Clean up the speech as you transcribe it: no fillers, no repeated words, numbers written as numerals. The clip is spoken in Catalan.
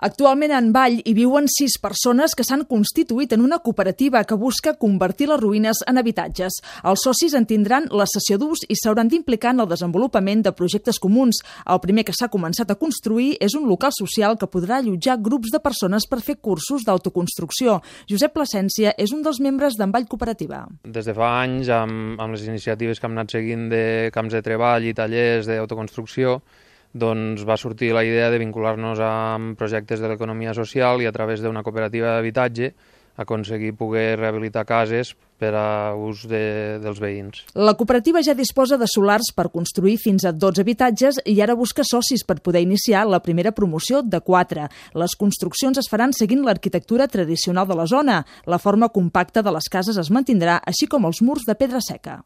Actualment en Vall hi viuen 6 persones que s'han constituït en una cooperativa que busca convertir les ruïnes en habitatges. Els socis en tindran la cessió d'ús i s'hauran d'implicar en el desenvolupament de projectes comuns. El primer que s'ha començat a construir és un local social que podrà allotjar grups de persones per fer cursos d'autoconstrucció. Josep Plasència és un dels membres d'en Vall Cooperativa. Des de fa anys, amb les iniciatives que hem anat seguint de camps de treball i tallers d'autoconstrucció, doncs va sortir la idea de vincular-nos amb projectes de l'economia social i a través d'una cooperativa d'habitatge aconseguir poder rehabilitar cases per a ús dels veïns. La cooperativa ja disposa de solars per construir fins a 12 habitatges i ara busca socis per poder iniciar la primera promoció de 4. Les construccions es faran seguint l'arquitectura tradicional de la zona. La forma compacta de les cases es mantindrà, així com els murs de pedra seca.